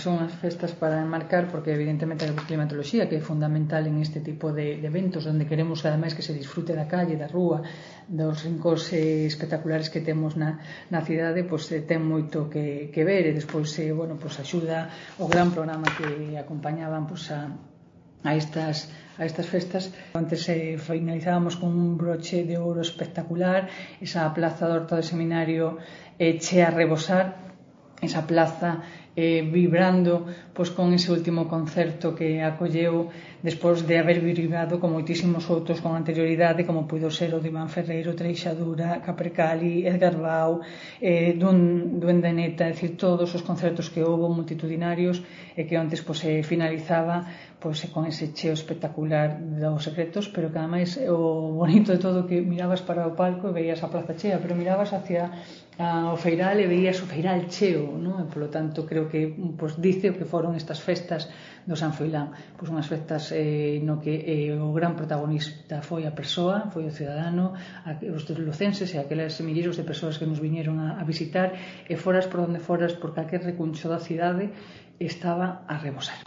son as festas para enmarcar, porque evidentemente a climatoloxía, que é fundamental en este tipo de eventos, onde queremos ademais que se disfrute da calle, da rúa, dos rincóns espectaculares que temos na cidade, pois ten moito que ver, e despois axuda o gran programa que acompañaban a estas festas. Antes finalizábamos con un broche de ouro espectacular, esa plaza do Horta do Seminario chea a rebosar, esa plaza vibrando con ese último concerto que acolleu despois de haber vibrado con moitísimos outros con anterioridade, como puido ser o de Iván Ferreiro, Treixadura, Capercali, Edgar Bau, Duende Neta, é dicir, todos os concertos que houve multitudinarios, e que antes finalizaba con ese cheo espectacular dos Secretos, pero que ademais o bonito de todo que mirabas para o palco e veías a plaza chea, pero mirabas hacia o feiral e veías o feiral cheo, non? E polo tanto creo que dice o que foron estas festas do San Froilán, unhas festas no que o gran protagonista foi a persoa, foi o cidadano, os lucenses e aqueles milleiros de persoas que nos viñeron a visitar, e foras por onde foras, por calquer recuncho da cidade, estaba a rebosar.